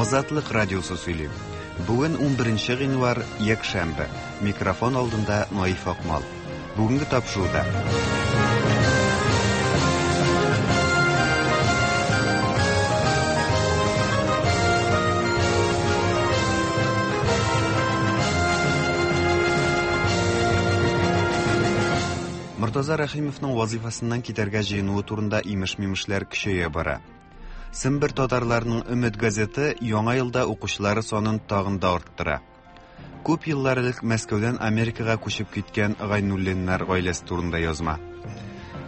Азатлык радиосы сөйли. Бүген 11 гыйнвар, якшәмбе. Микрофон алдында Наиф Акмал. Бүгенге тапшыруда. Мортаза Рәхимовның вазифасыннан китәргә җыенуы турында имеш-мимешләр көчәя бара. Сембер татарларының Өмет газеты яңа елда укучылары санын тагын да арттыра. Күп еллар элек Мәскәүдән Америкага күчеп киткән Гайнуллиннар гаиләсе турында язма.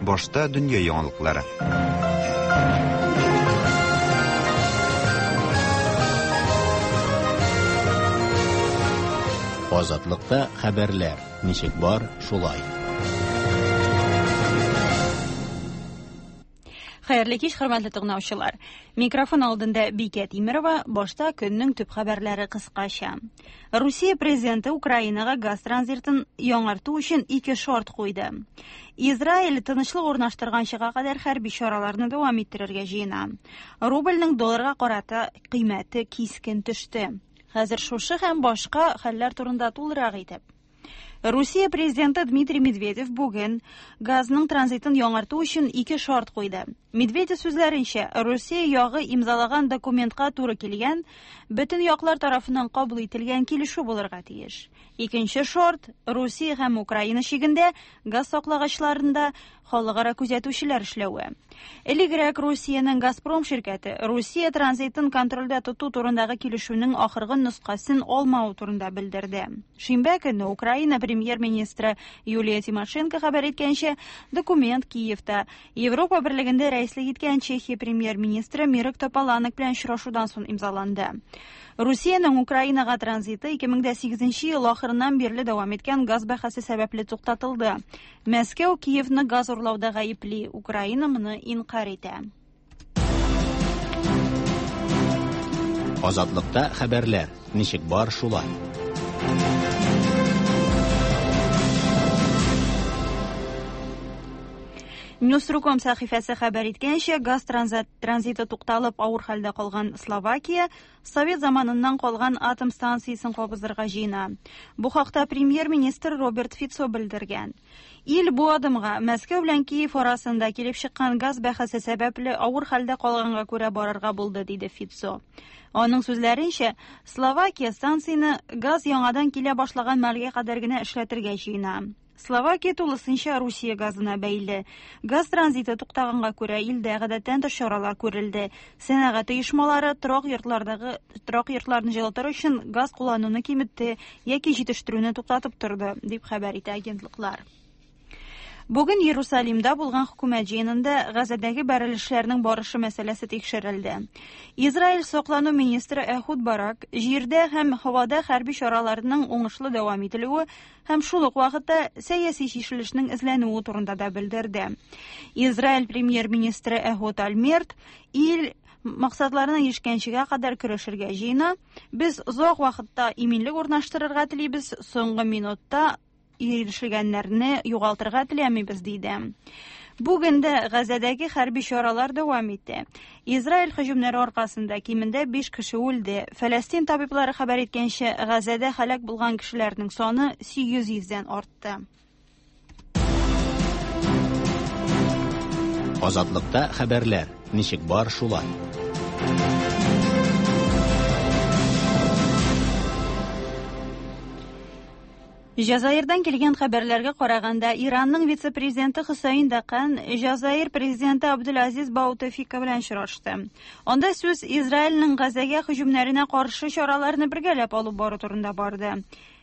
Башта дөнья яңалыклары. Азатлыкта хәбәрләр ничек бар, шулай. Хәерле кич, хөрмәтле тыңлаучылар. Микрофон алдында Бикә Тимерова, башта көннең төп хәбәрләре кыскача. Русия президенты Украинага газ транзитын яңарту өчен ике шарт куйды. Израиль тынычлык урнаштырганчыга кадәр хәрби чараларны дәвам иттерергә җыена. Рубльнең долларга карата кыйммәте кискен төште. Хәзер шушы һәм башка хәлләр турында тулырак итеп. Русия президенты Дмитрий Медведев бүген газның транзитын яңарту өчен ике шарт куйды. Медведев сүзләренчә, Русия ягы имзалаган документка туры килгән, бөтен яклар тарафыннан кабул ителгән килешү булырга тиеш. Икенче шарт Русия һәм Украина чигендә газ саклагычларында халыкара күзәтүчеләр эшләве. Элегрәк Русиянең Газпром ширкәте Русия транзитын контрольдә тоту турындагы килешүнең ахыргы нөсхәсен алмавы турында белдерде. Шимбә көне Украина премьер-министры Юлия Тимошенко хәбәр иткәнчә, документ Киевта Европа берлегендә рәислек иткән Чехия премьер-министры Мирек Тополанек белән очрашудан соң имзаланды. Русиянең Украинага транзиты 2008 ел ахырыннан бирле дәвам иткән газ бәһасе сәбәпле туктатылды. Мәскәү Киевны газ урлауда гаепли, Украина моны инкарь итә. Азатлыкта хәбәрләр ничек бар шулай. Newsru.com сәхифәсе хәбәр иткәнчә, газ транзиты тукталып авыр хәлдә калган Словакия Совет заманыннан калган атом станциясен кабызырга җыена. Бу хакта премьер-министр Роберт Фицо белдергән. Ил бу адымга Мәскәү белән Киев арасында килеп чыккан газ бәхәсе сәбәпле авыр хәлдә калганга күрә барырга булды, диде Фицо. Аның сүзләренчә, Словакия станцияне газ яңадан килә башлаган мәлгә кадәр генә эшләтергә җыена. Словакия тулысынча Русия газына бәйле. Газ транзиты туктаганга күрә илдә гадәттән тыш чаралар күрелде. Сәнәгать оешмалары торак йортлардагы торак йортларны җылытыр өчен газ куллануны киметте яки җитештерүне туктатып торды, дип хәбәр итә агентлыклар. Бүген Иерусалимда булган хөкүмәт җыенында Газадәге бәрелешләрнең барышы мәсьәләсе тикшерелде. Израиль саклану министры Эхуд Барак җирдә һәм һавада хәрби чараларның уңышлы дәвам ителүе һәм шул ук вакытта сәяси чишелешнең эзләнүе турында да белдерде. Израиль премьер-министры Эхуд Ольмерт ил максатларына ирешкәнчегә кадәр көрәшергә җыена. Без озак вакытта иминлек урнаштырырга телибез, соңгы минутта ирешелгәннәрне югалтырга теләмибез, диде. Бүген дә Газәдәге хәрби чаралар дәвам итә. Израиль һөҗүмнәре аркасында кимендә 5 кеше үлде. Фәләстин табиблары хәбәр иткәнчә, Газәдә һәлак булган кешеләрнең саны 800 дән артты. Азатлыкта хәбәрләр ничек бар шулай. Җазаирдан килгән хәбәрләргә караганда, Иранның вице-президенты Хөсәен Дакан Җазаир президенты Абдул-Азиз Баутефика белән очрашты. Анда сүз Израильнең Газәгә һөҗүмнәренә каршы чараларны бергәләп алып бару турында барды.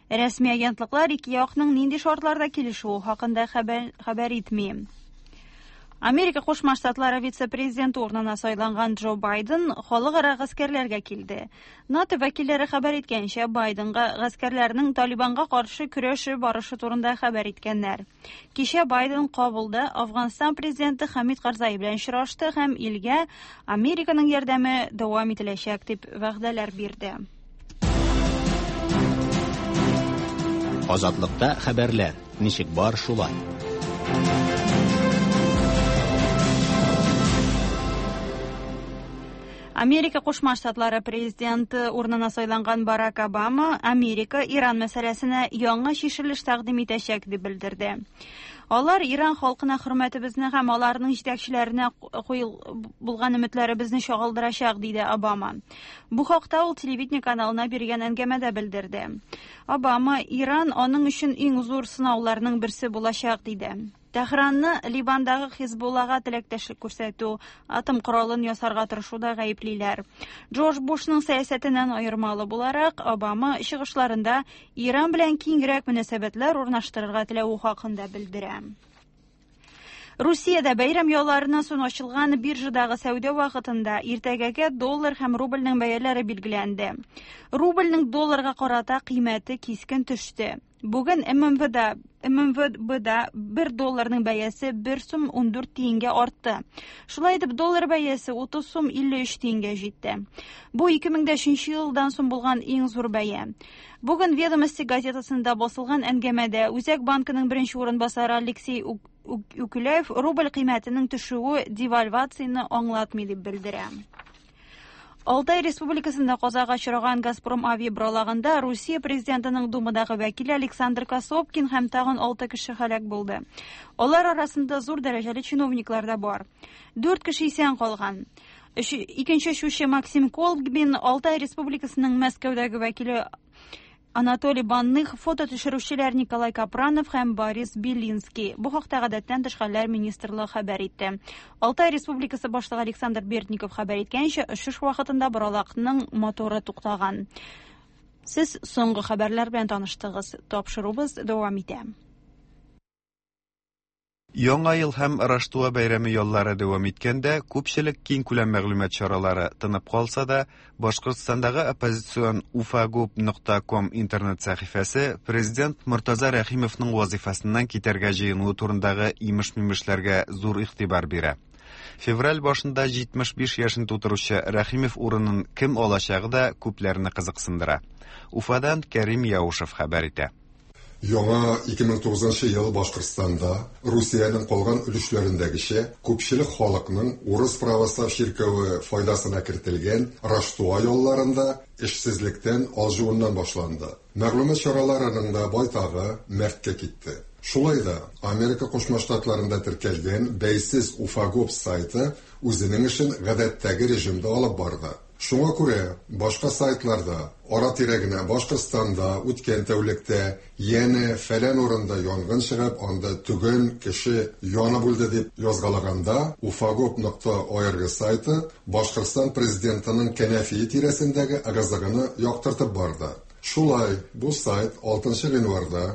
Рәсми агентлыклар ике якның нинди шартларда килешүе хакында хәбәр, хәбәр итми. Америка Кушма Штатлары вице-президенты урынына сайланган Джо Байден халыкара гаскәрләргә килде. НАТО вәкилләре хәбәр иткәнчә, Байденга гаскәрләрнең Талибанга каршы көрәше барышы турында хәбәр иткәннәр. Кичә Байден Кабулда Афганстан президенты Хамид Карзай белән очрашты һәм илгә Американың ярдәме дәвам ителәчәк дип вәгъдәләр бирде. Азатлыкта хәбәрләр ничек бар шулай. Америка Кушма Штатлары президенты урынына сайланган Барак Обама Америка Иран мәсьәләсенә яңа чишелеш тәкъдим итәчәк дип белдерде. Алар Иран халкына хөрмәтебезне һәм аларның җитәкчеләренә булган өметләребезне чагылдырачак, диде Обама. Бу хакта ул телевидение каналына биргән әңгәмәдә белдерде. Обама Иран аның өчен иң зур сынауларның берсе булачак, диде. Тәһранны Ливандагы Хизбуллага теләктәшлек күрсәтү, атом коралын ясарга тырышуда гаеплиләр. Джордж Бушның сәясәтеннән аермалы буларак, Обама чыгышларында Иран белән киңрәк мөнәсәбәтләр урнаштырырга теләве хакында белдерә. Русиядә бәйрәм ялларыннан соң ачылган биржадагы сәүдә вакытында иртәгәгә доллар һәм рубльнең бәяләре билгеләнде. Рубльнең долларга карата кыйммәте кискен төште. Бүген ММВда ММВБда 1 долларның бәясе 1 сум 14 тиенгә артты. Шулай итеп, доллар бәясе 30 сум 53 тиенгә җитте. Бу 2003 елдан соң булган иң зур бәя. Бүген Ведомости газетасында басылган әңгәмәдә Үзәк банкының беренче урынбасары Алексей Үкүләев рубль кыйммәтенең төшүе девальвацияне аңлатмый дип белдерә. Алтай Республикасында казага очраган Газпром авиаборалагында Русия президентының Думадагы вәкиле Александр Косопкин һәм тагын 6 кеше һәлак булды. Алар арасында зур дәрәҗәле чиновниклар да бар. 4 кеше исән калган. Икенче очучы Максим Колбин, Алтай Республикасының Мәскәүдәге вәкиле Анатолий Банных, фото төшерүчеләр Николай Капранов һәм Борис Белинский. Бу хакта гадәттән тыш хәлләр министрлыгы хәбәр итте. Алтай Республикасы башлыгы Александр Бердников хәбәр иткәнчә, очыш вакытында боралакның моторы туктаган. Сез соңгы хәбәрләр белән таныштыгыз. Тапшыруыбыз дәвам итә. Яңа ел һәм Раштуа бәйрәме яллары дәвам иткәндә, күпчелек киңкүләм мәгълүмат чаралары тынып калса да, Башкортстандагы оппозицион ufagub.com интернет сәхифәсе президент Мортаза Рәхимовның вазифасыннан китәргә җыенуы турындагы имеш-мимешләргә зур игътибар бирә. Февраль башында 75 яшен тутыручы Рәхимов урынын кем алачагы да күпләрне кызыксындыра. Уфадан Кәрим Яушев хәбәр итә. Яңа 2009 ел Башкортстанда Русиянең калган өлешләрендәгечә күпчелек халыкның урыс православ чиркәве файдасына кертелгән Раштуа ялларында эшсезлектән алҗуыннан башланды. Мәгълүмат чараларының да байтагы мәрткә китте. Шулай да Америка Кушма Штатларында теркәлгән бәйсез Уфагоп сайты үзенең эшен гадәттәге режимда алып барды. Шуңа күрә башка сайтларда ара-тирә генә Башкортстанда үткән тәүлектә янә фәлән урында янгын чыгып, анда төгән кеше янып үлде дип язгалаганда, ufagop.org сайты Башкортстан президентының кәнәфие тирәсендәге ыгы-зыгыны яктыртып барды. Шулай, бу сайт 6 гыйнварда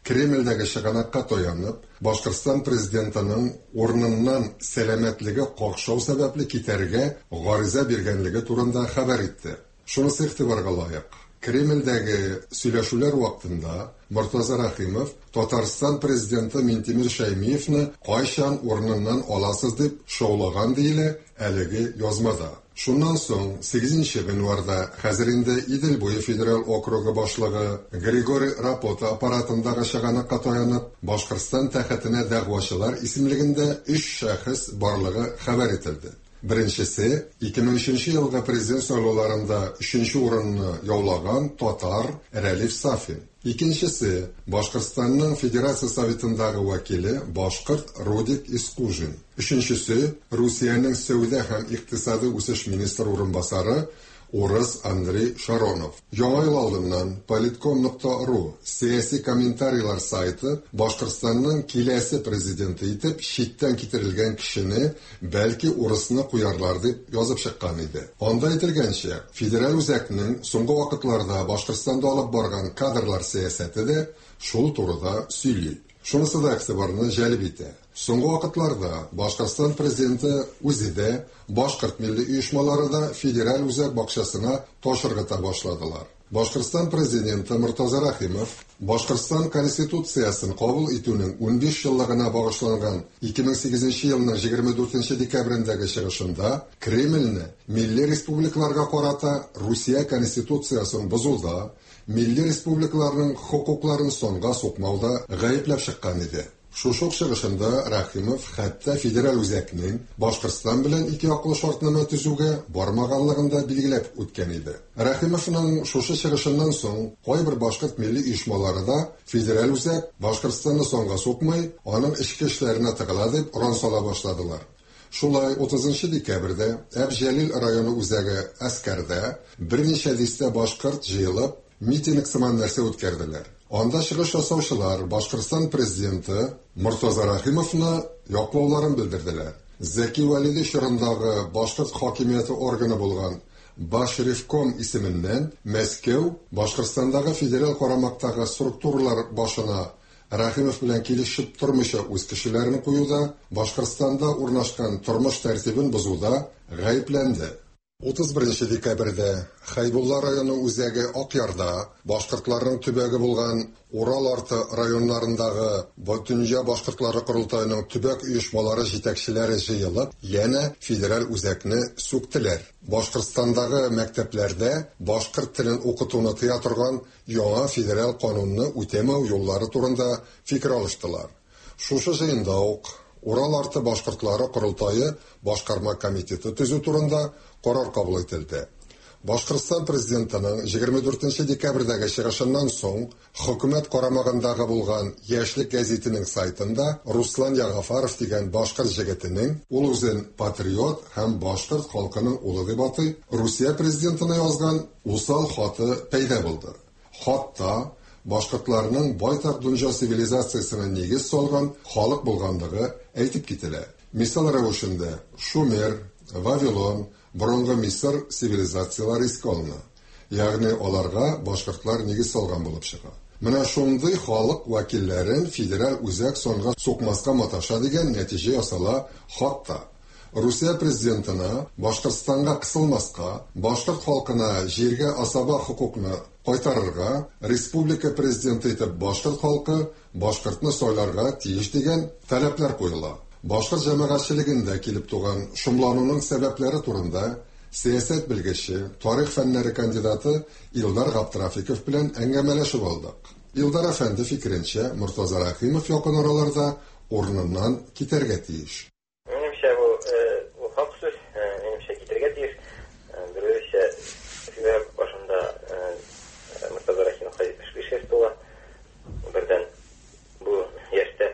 Кремльдәге чыганакка таянып, Башкортстан президентының урыныннан сәламәтлеге какшау сәбәпле китәргә гариза биргәнлеге турында хәбәр итте. Шунысы игътибарга лаек. Кремльдәге сөйләшүләр вакытында Мортаза Рәхимов Татарстан президенты Минтимер Шәймиевны кайчан урыныннан аласыз дип шаулаган диелә әлеге язмада. Шуннан соң 8 гыйнварда хәзер инде Идел буе федераль округы башлыгы Григорий Рапота аппаратындагы чыганакка таянып, Башкортстан тәхетенә дәгъвачылар исемлегендә 3 шәхес барлыгы хәбәр ителде. Беренчесе 2003 елгы президент сайлауларында 3 урынны яулаган татар Рәлиф Сафин. Икенчесе Башкортстанның Федерация Советындагы вәкиле башкорт Рудик Искужин. Өченчесе Русиянең сәүдә һәм икътисади үсеш министры урынбасары урыс Андрей Шаронов. Яңа ел алдыннан политком.ру сәяси комментарийлар сайты Башкортстанның киләсе президенты итеп читтән китерелгән кешене, бәлки урысны куярлар дип язып чыккан иде. Анда әйтелгәнчә, федераль үзәкнең соңгы вакытларда Башкортстанда алып барган кадрлар сәясәте дә шул турыда сөйли. Шунысы да игътибарны җәлеп итә. Соңгы вакытларда Башкортстан президенты үзе дә, башкорт милли оешмалары да федераль үзәк бакчасына таш ыргыта башладылар. Башкортстан президенты Мортаза Рәхимов Башкортстан Конституциясен кабул итүнең 15 еллыгына багышланган 2008 елның 24 декабрендәге чыгышында Кремльне милли республикаларга карата Русия Конституциясен бозуда, милли республикаларның хокукларын санга сукмауда гаепләп чыккан иде. Шушы ук чыгышында Рәхимов хәтта федераль үзәкнең Башкортстан белән икеяклы шартнамә төзүгә бармаганлыгын да билгеләп үткән иде. Рәхимовның шушы чыгышыннан соң кайбер башкорт милли оешмалары да федераль үзәк Башкортстанны санга сукмый, аның эчке эшләренә тыгыла дип оран сала башладылар. Шулай 30 декабрьдә Әбҗәлил районы үзәге Әскәрдә берничә дистә башкорт җыелып, митинг сыман нәрсә үткәрделәр. Анда чыгыш ясаучылар Башкортстан президенты Мортаза Рәхимовны яклауларын белдерделәр. Зәки Вәлиди чорындагы башкорт хакимияте органы булган Башревком исеменнән Мәскәү Башкортстандагы федераль карамактагы структуралар башына Рәхимов белән килешеп тормыйча үз кешеләрен куюда, Башкортстанда урнашкан тормыш тәртибен бозуда гаепләнде. 31 декабрьдә Хәйбулла районы үзәге Акъярда башкортларның төбәге булган Урал арты районнарындагы Бөтендөнья башкортлары корылтаеның төбәк оешмалары җитәкчеләре җыелып, янә федераль үзәкне сүктеләр. Башкортстандагы мәктәпләрдә башкорт телен укытуны тыя торган яңа федераль канунны үтәмәү юллары турында фикер алыштылар. Шушы җыенда ук Урал арты башкортлары корылтае башкарма комитеты төзү турында карар кабул ителде. Башкортстан президентының 24 декабрьдәге чыгышыннан соң хөкүмәт карамагындагы булган Яшьлек гәзитенең сайтында Руслан Ягафаров дигән башкорт җегетенең, ул үзен патриот һәм башкорт халкының улы дип атый, Русия президентына язган усал хаты пәйда булды. Хатта башкортларның байтак дөнья цивилизациясенә нигез салган халык булганлыгы әйтеп кителә. Мисал рәвешендә Шумер, Вавилон, борынгы Мисыр цивилизацияләре искә алына. Ягъни аларга башкортлар нигез салган булып чыга. Менә шундый халык вәкилләрен федераль үзәк санга сукмаска маташа дигән нәтиҗә ясала хатта. Русия президентына Башкортстанга кысылмаска, башкорт халкына җиргә асаба хокукны кайтарырга, республика президенты итеп башкорт халкы башкортны сайларга тиеш дигән таләпләр куела. Башкорт җәмәгатьчелегендә килеп туган шомлануның сәбәпләре турында сәясәт белгече, тарих фәннәре кандидаты Илдар Габдрафиков белән әңгәмәләшеп алдык. Илдар әфәнде фикеренчә, Мортаза Рәхимов якын араларда урыныннан китәргә тиеш. Минемчә, бу хак сүз, минемчә, китәргә тиеш. Берүзчә февраль башында Мортаза Рәхимовка 75 яшь тула. Бердән бу яшьтә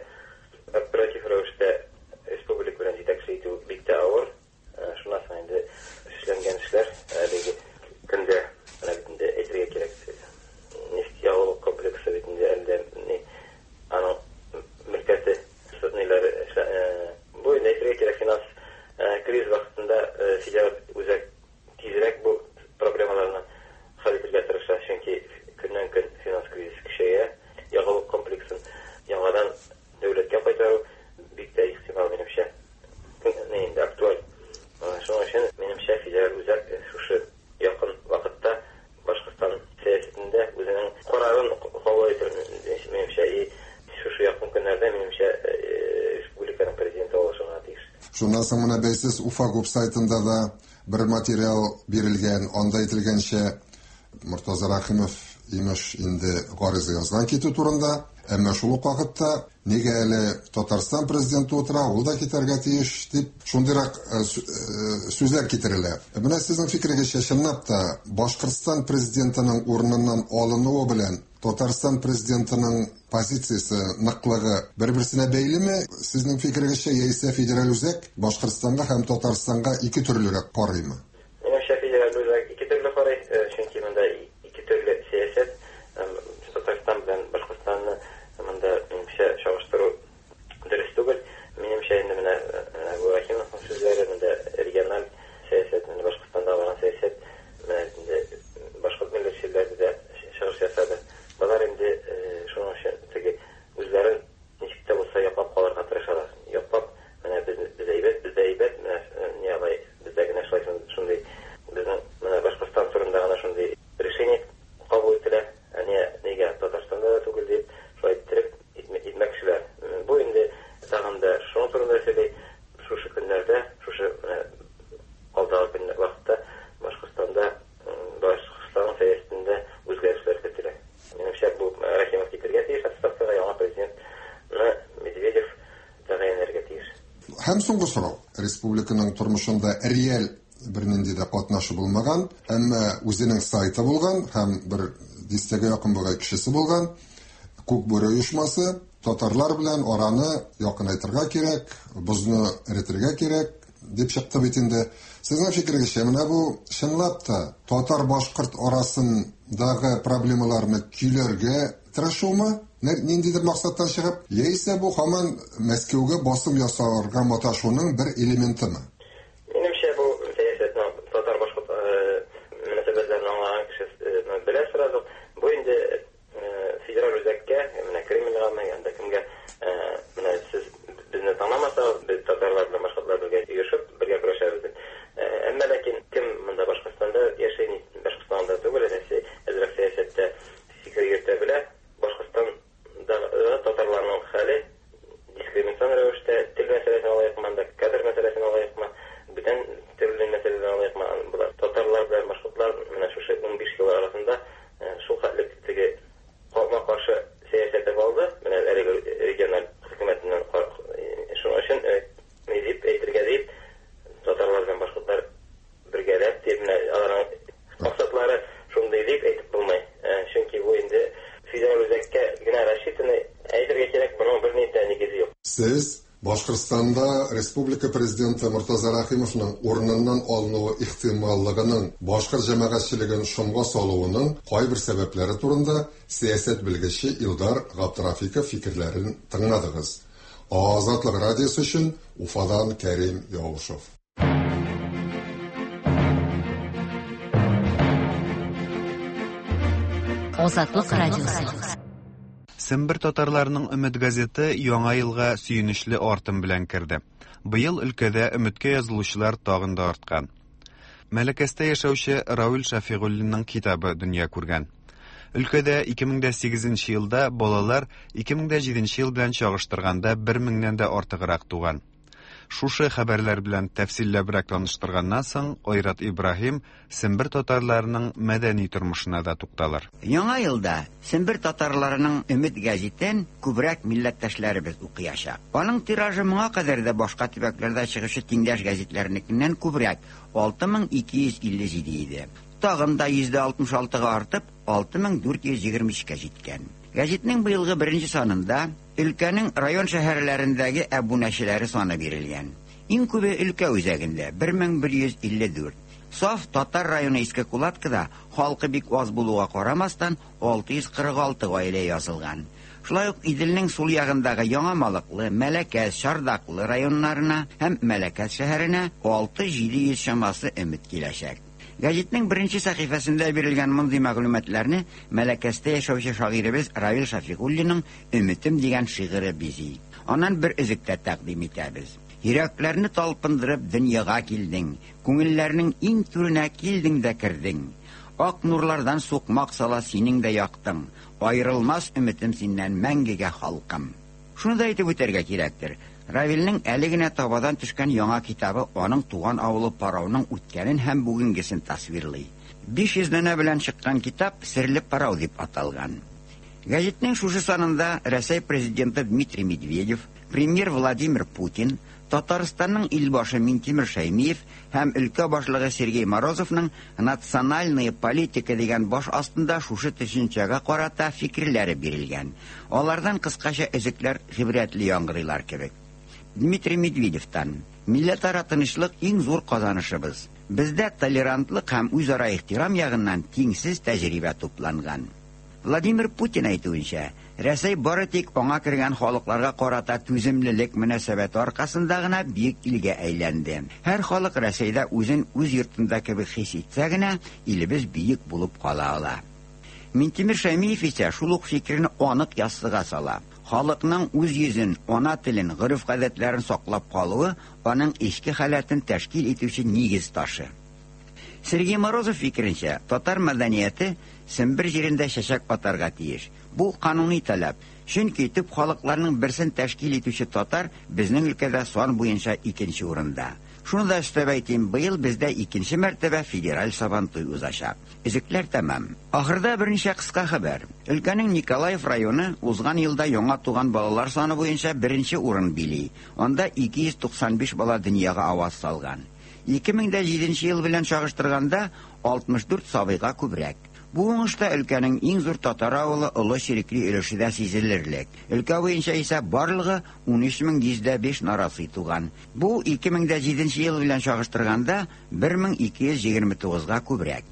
оператив рәвештә республика белән җитәкче итү бик тә авыр. Шуннан соң инде эшләнгән эшләр әлеге көндә менә бит инде әйтергә кирәк, нефть ягулык комплексы бит инде әле дә аның мөлкәте ниләре бу инде әйтергә кирәк, финанс кризис вакытында федераль үзәк тизрәк бу проблемаларны хәл итәргә тырыша, чөнки көннән көн финанс кризис көчәя, ягулык комплексын яңадан дәүләткә кайтару бик тә ихтимал, минемчә, инде актуаль. Шуның өчен, минемчә, федераль үзәк шушы якын вакытта Башкортстан сәясәтендә үзенең карарын кабул итер, минемчә, и шушы якын көннәрдә, минемчә, республиканың президенты алышырга тиеш. Шуннан соң менә бәйсез Уфа губ сайтында да бер материал бирелгән, анда әйтелгәнчә, Мортаза Рәхимов имеш инде гариза язган китү турында, әмма шул ук вакытта нигә әле Татарстан президенты утыра, ул да китәргә тиеш дип шундыйрак сүзләр китерелә. Менә сезнең фикерегезчә, чынлап та Башкортстан президентының урыныннан алынуы белән Татарстан президентының позициясе ныклыгы бер-берсенә бәйлеме? Сезнең фикерегезчә, яисә федераль үзәк Башкортстанга һәм Татарстанга ике төрлерәк карыймы? Минемчә, федераль үзәк ике төрле карый, чөнки монда ике төрле сәясәт. Татарстан белән Башкортстанны монда минемчә чагыштыру дөрес түгел. Минемчә, инде менә бу Рәхимовның сүзләре, монда региональ сәясәт, менә Башкортстанда барган сәясәт, менә инде башкорт милләтчеләре дә чыгыш ясады. Болар инде шуның өчен теге үзләрен ничек тә булса яклап калырга тырышалар. Яклап, менә без әйбәт, бездә әйбәт, менә ни алай, бездә генә шулай шундый Һәм соңгы сорау. Республиканың тормышында реаль бернинди дә катнашы булмаган, әмма үзенең сайты булган һәм бер дистәгә якын бугай кешесе булган Күк бүре оешмасы татарлар белән араны якынайтырга кирәк, бозны эретергә кирәк дип чыкты бит инде. Сезнең фикерегезчә, менә бу чынлап та татар-башкорт арасындагы проблемаларны көйләргә тырышумы? Ниндидер максаттан чыгып, яисә бу һаман Мәскәүгә басым ясарга маташуның бер элементымы? Минемчә, бу сәясәтне татар-башкорт мөнәсәбәтләрен аңлаган кеше белә сразу. Бу инде федераль үзәккә, менә Кремльгамы, анда кемгә, менә сез безне тыңламасагыз, без татарлар белән башкортлар бергә оешып, бергә көрәшәбез дип. Әмма ләкин кем монда Башкортстанда яши, Башкортстанда түгел, Рәсәй әзрәк сәясәттә фикер йөртә белә, Башкортстандагы татарларның хәле дискриминацион рәвештә, тел мәсьәләсен алыйкмы, анда кадр мәсьәләсен алыйкмы, бүтән төрле мәсьәләләр алыйкмы, болар татарлар белән башкортлар менә шушы 15 ел арасында шул хәтле теге капма-каршы сәясәте булды, менә әлеге региональ хөкүмәтеннән, шуның өчен ни дип әйтергә дип, татарлар белән башкортлар бергәләп дип, менә аларның максатлары шундый дип әйтеп булмый. Чөнки бу инде федераль үзәккә генә рассчитанный, әйтергә кирәк, моның бернинди дә нигезе юк. Сез Башкортстанда республика президенты Мортаза Рәхимовның урыныннан алынуы ихтималлыгының башкорт җәмәгатьчелеген шомга салуының кайбер сәбәпләре турында сәясәт белгече Илдар Габдрафиков фикерләрен тыңладыгыз. Азатлык радиосы өчен Уфадан Кәрим Яушев. Азатлык радиосы. Сембер татарларының Өмет газеты яңа елга сөенечле артым белән керде. Быел өлкәдә Өметкә язылучылар тагын да арткан. Мәләкәстә яшәүче Равил Шәфигуллинның китабы дөнья күргән. Өлкәдә 2008 елда балалар 2007 ел белән чагыштырганда 1 меңнән дә артыграк туган. Шушы хәбәрләр белән тәфсилләбрәк таныштырганнан соң, Айрат Ибраһим Сембер татарларының мәдәни тормышына да тукталыр. Яңа елда Сембер татарларының Өмет гәзитен күбрәк милләттәшләребез укыячак. Аның тиражы моңа кадәр дә башка төбәкләрдә чыгучы тиңдәш гәзитләрнекеннән күбрәк 6257 иде. Тагын да 66%-га артып 6423-кә җиткән. Гәзитнең быелгы беренче санында өлкәнең район шәһәрләрендәге әбүнәчеләре саны бирелгән. Иң күбе өлкә үзәгендә 1154. Саф татар районы Иске Кулаткада халкы бик аз булуга карамастан 646 гаилә язылган. Шулай ук Иделнең сул ягындагы Яңа Малыклы, Мәләкәс, Чардаклы районнарына һәм Мәләкәс шәһәренә 6700 чамасы өмет киләчәк. Гәзитнең беренче сәхифәсендә бирелгән мондый мәгълүматларны Мәләкәстә яшәүче шагыйребез Равил Шәфигуллинның Өметем дигән шигыре бизи. Аннан бер өзек тә тәкъдим итәбез. Йөрәкләрне талпындырып дөньяга килдең, күңелләрнең иң түренә килдең дә кердең. Ак нурлардан сукмак сала синең дә яктың. Аерылмас өметем синнән мәңгегә халкым. Шуны да әйтеп үтәргә кирәктер. Равилнең әле генә табадан төшкән яңа китабы аның туган авылы Парауның үткәнен һәм бүгенгесен тасвирлый. 500 данә белән чыккан китап Серле Парау дип аталган. Гәзитнең шушы санында Рәсәй президенты Дмитрий Медведев, премьер Владимир Путин, Татарстанның илбашы Минтимер Шәймиев һәм өлкә башлыгы Сергей Морозовның «Национальная политика» дигән баш астында шушы төшенчәгә карата фикерләре бирелгән. Алардан кыскача өзекләр гыйбрәтле яңгырыйлар кебек. Дмитрий Медведевтан: Милләтара тынычлык иң зур казанышыбыз. Бездә толерантлык һәм үзара ихтирам ягыннан тиңсез тәҗрибә тупланган. Владимир Путин әйтүенчә, Рәсәй бары тик аңа кергән халыкларга карата түземлелек мөнәсәбәте аркасында гына бөек илгә әйләнде. Һәр халык Рәсәйдә үзен үз йортында кебек хис итсә генә, илебез бөек булып кала ала. Минтимер Шәймиев исә шул ук фикерне анык яссыга сала. Халыкның үз йөзен, ана телен, гореф-гадәтләрен саклап калуы аның эчке халәтен тәшкил итүче нигез ташы. Сергей Морозов фикеренчә, татар мәдәнияте Сембер җирендә чәчәк атарга тиеш. Бу кануни таләп. Чөнки төп халыкларның берсен тәшкил итүче татар безнең өлкәдә сан буенча икенче урында. Шуны да өстәп әйтим, быел бездә икенче мәртәбә федераль Сабантуй узачак. Өзекләр тәмам. Ахырда берничә кыска хәбәр. Өлкәнең Николаев районы узган елда яңа туган балалар саны буенча беренче урын били. Анда 295 бала дөньяга аваз салган. 2007 ел белән чагыштырганда 64 сабыйга күбрәк. Бу уңышта өлкәнең иң зур татар авылы Олы Чирекли өлеше дә сизелерлек. Өлкә буенча исә барлыгы 13105 нарасый туган. Бу 2007 ел белән чагыштырганда 1229-га күбрәк.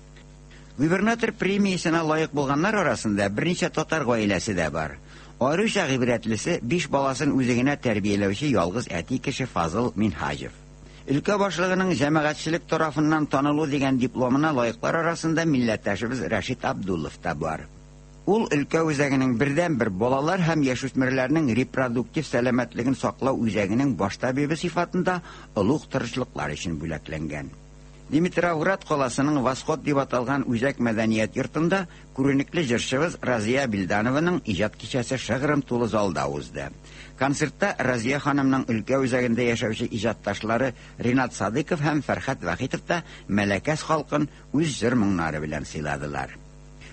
Губернатор премиясенә лаек булганнар арасында берничә татар гаиләсе дә бар. Аеруча гыйбрәтлесе биш баласын үзе генә тәрбияләүче ялгыз әти кеше Фазыл Минһаҗев. Өлкә башлыгының җәмәгатьчелек тарафыннан танылу дигән дипломына лаеклар арасында милләттәшебез Рәшит Абдуллов та бар. Ул өлкә үзәгенең бердәнбер балалар һәм яшүсмерләрнең репродуктив сәламәтлеген саклау үзәгенең баш табибы сыйфатында олуг тырышлыклар өчен бүләкләнгән. Димитровград каласының Восход дип аталган үзәк мәдәният йортында күренекле җырчыбыз Разия Билданованың иҗат кичәсе шыгрым тулы залда узды. Концертта Разия ханымның өлкә үзәгендә яшәүче иҗатташлары Ринат Садыков һәм Фәрхәт Вахитов та Мәләкәс халкын үз җыр моңнары белән сыйладылар.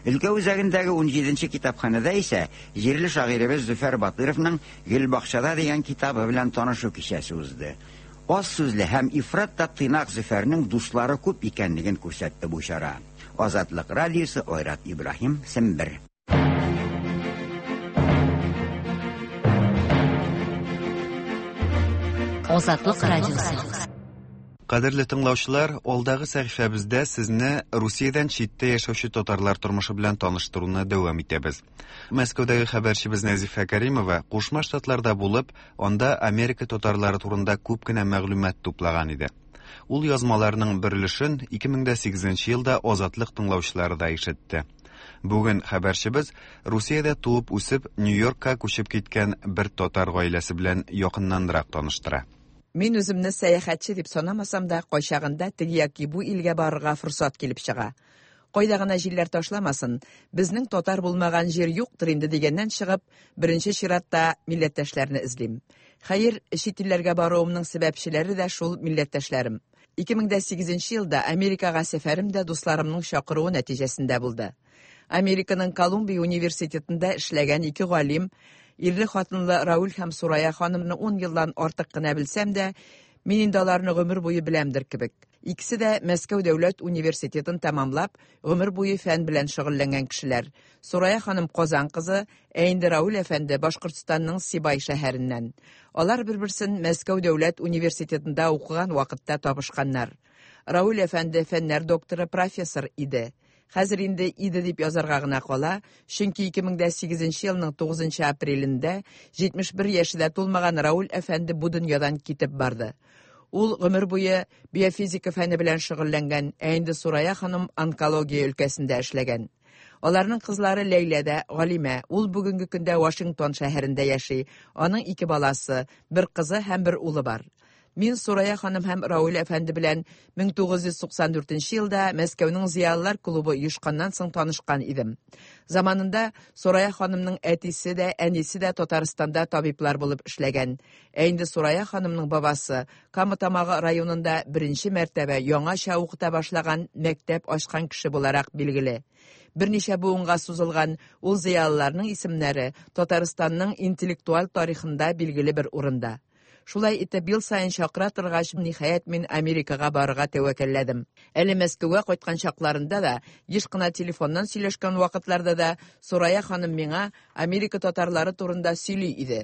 Өлкә үзәгендәге 17нче китапханәдә исә җирле шагыйребез Зөфәр Батыровның Гөлбакчада дигән китабы белән танышу кичәсе узды. Аз сүзле һәм ифрат та тыйнак Зөфәрнең дуслары күп икәнлеген күрсәтте бу чара. Азатлык радиосы Айрат Ибраһим, Сембер. Азатлык радиосы. Кадерле тыңлаучылар, алдагы сәхифәбездә сезне Русиядән читтә яшәүче татарлар тормышы белән таныштыруны дәвам итәбез. Мәскәүдәге хәбәрчебез Нәзифә Кәримова Кушма Штатларда булып, анда Америка татарлары турында күп кенә мәгълүмат туплаган иде. Ул язмаларның бер өлешен 2008 елда Азатлык тыңлаучылары да ишетте. Бүген хәбәрчебез Русиядә туып үсеп, Нью-Йоркка күчеп киткән бер татар гаиләсе белән якыннанрак таныштыра. Мин үземне сәяхәтче дип санамасам да, кайчагында теге яки бу илгә барырга форсат килеп чыга. Кайда гына җилләр ташламасын, безнең татар булмаган җир юктыр инде дигәннән чыгып, беренче чиратта милләттәшләрне эзлим. Хәер, чит илләргә баруымның сәбәпчеләре дә шул милләттәшләрем. 2008 елда Америкага сәфәрем дә дусларымның чакыруы нәтиҗәсендә булды. Американың Колумбия университетында эшләгән ике галим, ирле хатынлы Рауль һәм Сурая ханымны 10 елдан артык кына белсәм дә, мин инде аларны гомер буе беләмдер кебек. Икесе дә Мәскәү дәүләт университетын тәмамлап, гомер буе фән белән шөгыльләнгән кешеләр. Сурая ханым Казан кызы, ә инде Рауль әфәнде Башкортстанның Сибай шәһәреннән. Алар бер-берсен Мәскәү дәүләт университетында укыган вакытта табышканнар. Рауль әфәнде фәннәр докторы, профессор иде. Хәзер инде иде дип язарга гына кала, чөнки 2008 елның 9 апрелендә 71 яше дә тулмаган Рауль әфәнде бу дөньядан китеп барды. Ул гомер буе биофизика фәне белән шөгыльләнгән, ә инде Сурая ханым онкология өлкәсендә эшләгән. Аларның кызлары Ләйлә дә галимә. Ул бүгенге көндә Вашингтон шәһәрендә яши. Аның ике баласы, бер кызы һәм бер улы бар. Мин Сурая ханым һәм Рауль әфәнде белән 1994 елда Мәскәүнең Зыялылар клубы оешканнан соң танышкан идем. Заманында Сурая ханымның әтисе дә, әнисе дә Татарстанда табиблар булып эшләгән. Ә инде Сурая ханымның бабасы Кама Тамагы районында беренче мәртәбә яңача укыта башлаган мәктәп ачкан кеше буларак билгеле. Берничә буынга сузылган ул зыялыларның исемнәре Татарстанның интеллектуаль тарихында билгеле бер урында. Шулай итеп, ел саен чакыра торгач, ниһаять мин Америкага барырга тәвәккәлләдем. Әле Мәскәүгә кайткан чакларында да, еш кына телефоннан сөйләшкән вакытларда да Сурая ханым миңа Америка татарлары турында сөйли иде.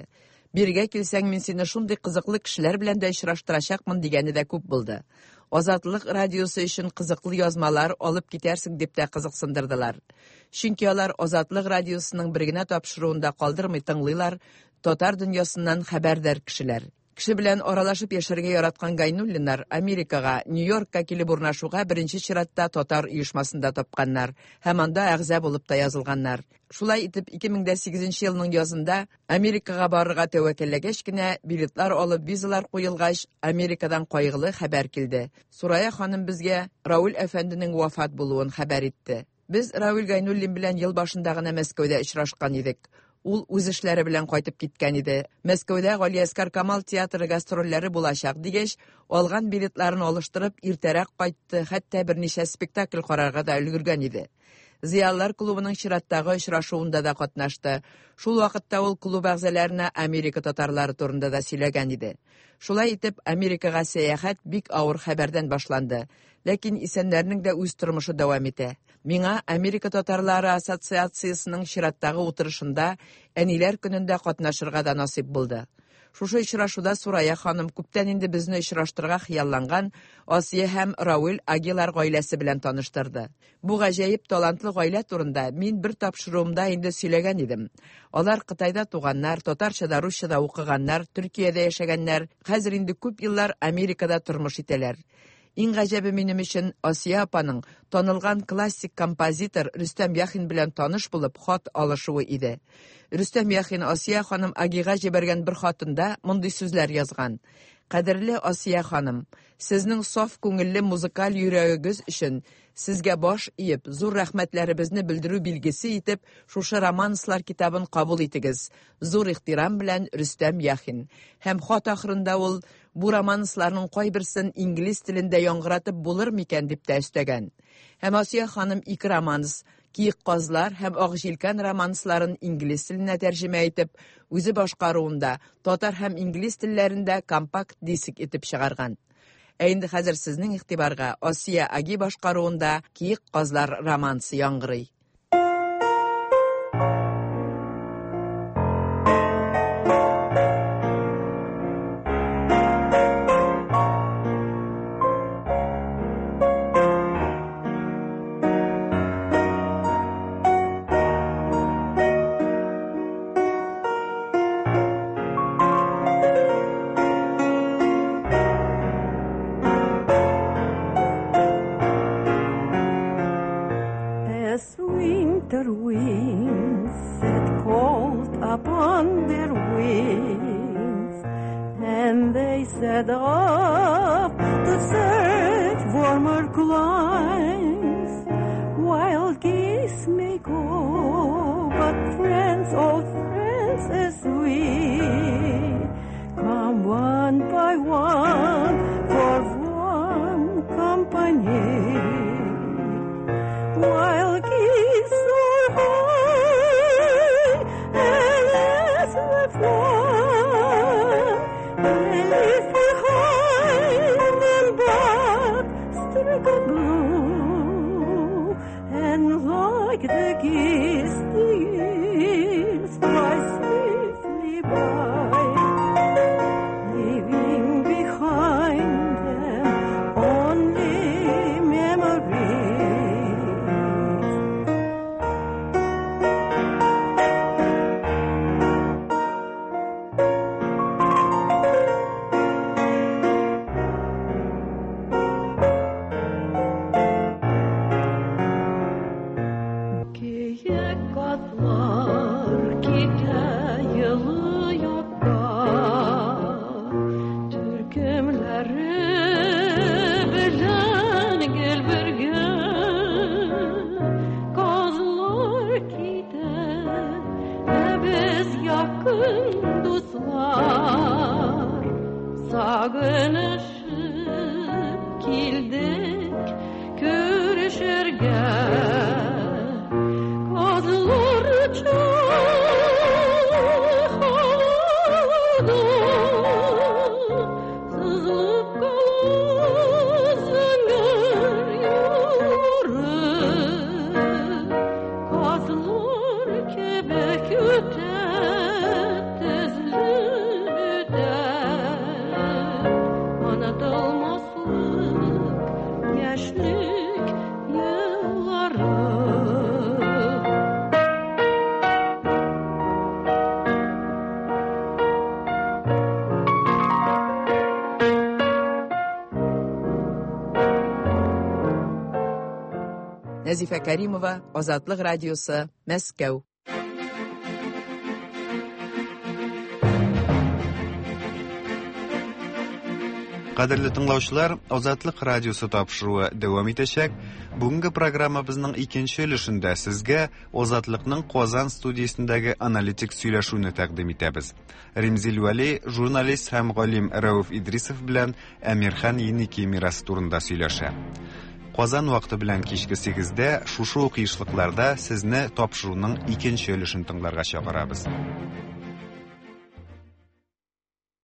Биргә килсәң, мин сине шундый кызыклы кешеләр белән дә очраштырачакмын дигәне дә күп булды. Азатлык радиосы өчен кызыклы язмалар алып китәрсең дип тә кызыксындырдылар. Чөнки алар Азатлык радиосының бер генә тапшыруын да калдырмый тыңлыйлар, татар дөньясыннан хәбәрдар кешеләр. Кеше белән аралашып яшәргә яраткан Гайнуллиннар Америкага, Нью-Йоркка килеп урнашуга беренче чиратта татар оешмасында тапканнар һәм анда әгъза булып та язылганнар. Шулай итеп, 2008 елның язында Америкага барырга тәвәккәлләгәч кенә, билетлар алып, визалар куелгач, Америкадан кайгылы хәбәр килде. Сурая ханым безгә Рауль әфәнденең вафат булуын хәбәр итте. Без Рауль Гайнуллин белән ел башында гына Мәскәүдә очрашкан идек. Ул үз эшләре белән кайтып киткән иде. Мәскәүдә Галиәсгар Камал театры гастрольләре булачак дигәч, алган билетларын алыштырып, иртәрәк кайтты, хәтта берничә спектакль карарга да өлгергән иде. Зыялылар клубының чираттагы очрашуында да катнашты. Шул вакытта ул клуб әгъзаларына Америка татарлары турында да сөйләгән иде. Шулай итеп, Америкага сәяхәт бик авыр хәбәрдән башланды. Ләкин исәннәрнең дә үз тормышы дәвам итә. Миңа Америка татарлары ассоциациясенең чираттагы утырышында Әниләр көнендә катнашырга да насыйп булды. Шушы очрашуда Сурая ханым күптән инде безне очраштырырга хыялланган Асия һәм Рауил Агилар гаиләсе белән таныштырды. Бу гаҗәеп талантлы гаилә турында мин бер тапшыруымда инде сөйләгән идем. Алар Кытайда туганнар, татарча да, русча да укыганнар, Төркиядә яшәгәннәр, хәзер инде күп еллар Америкада тормыш итәләр. Иң гаҗәбе минем өчен Асия апаның танылган классик композитор Рөстәм Яхин белән таныш булып хат алышуы иде. Рөстәм Яхин Асия ханым Агига җибәргән бер хатында мондый сүзләр язган: Кадерле Асия ханым, сезнең саф күңелле музыкаль йөрәгегез өчен сезгә баш иеп, зур рәхмәтләребезне белдерү билгесе итеп, шушы романслар китабын кабул итегез. Зур ихтирам белән Рөстәм Яхин. Һәм хат ахырында ул бу романсларның кайберсен инглиз телендә яңгыратып булыр микән дип тә өстәгән. Һәм Асия ханым ике романс Киек казлар һәм Ак җилкән романсларын инглиз теленә тәрҗемә итеп, үзе башкаруында татар һәм инглиз телләрендә компакт диск итеп чыгарган. Ә инде хәзер сезнең игътибарга Асия Аги башкаруында Киек казлар романсы яңгырый. As winter winds set cold upon their wings, and they set off to search warmer climes. Wild geese may go, but friends, old friends as we, come one by one for warm company. While geese soar high and as they fly, they leave behind them but streak of blue, and like the geese, the years fly swiftly by, leaving behind them only memories. Киек казлар китә йылы якка, Төркемнәре белән гел бергә. Казлар китә, ә без якын дуслар. Сагынышып килдек күрешергә. Казлар оча һавада, сызылып кала зәңгәр юллары. Казлар кебек үтә, тезелеп үтә, онытылмаслык яшьлек еллары. Нәзифә Кәримова, Азатлык радиосы, Мәскәү. Кадерле тыңлаучылар, Азатлык радиосы тапшыруы дәвам итәчәк. Бүгенге программабызның икенче өлешендә сезгә Азатлыкның Казан студиясендәге аналитик сөйләшүне тәкъдим итәбез. Римзил Вәли, журналист һәм галим Рәүф Идрисов белән Әмирхан Еники мирасы турында сөйләшә. Казан вакыты белән кичке 8-дә шушы ук ешлыкларда сезне тапшыруның икенче өлешен тыңларга чакырабыз.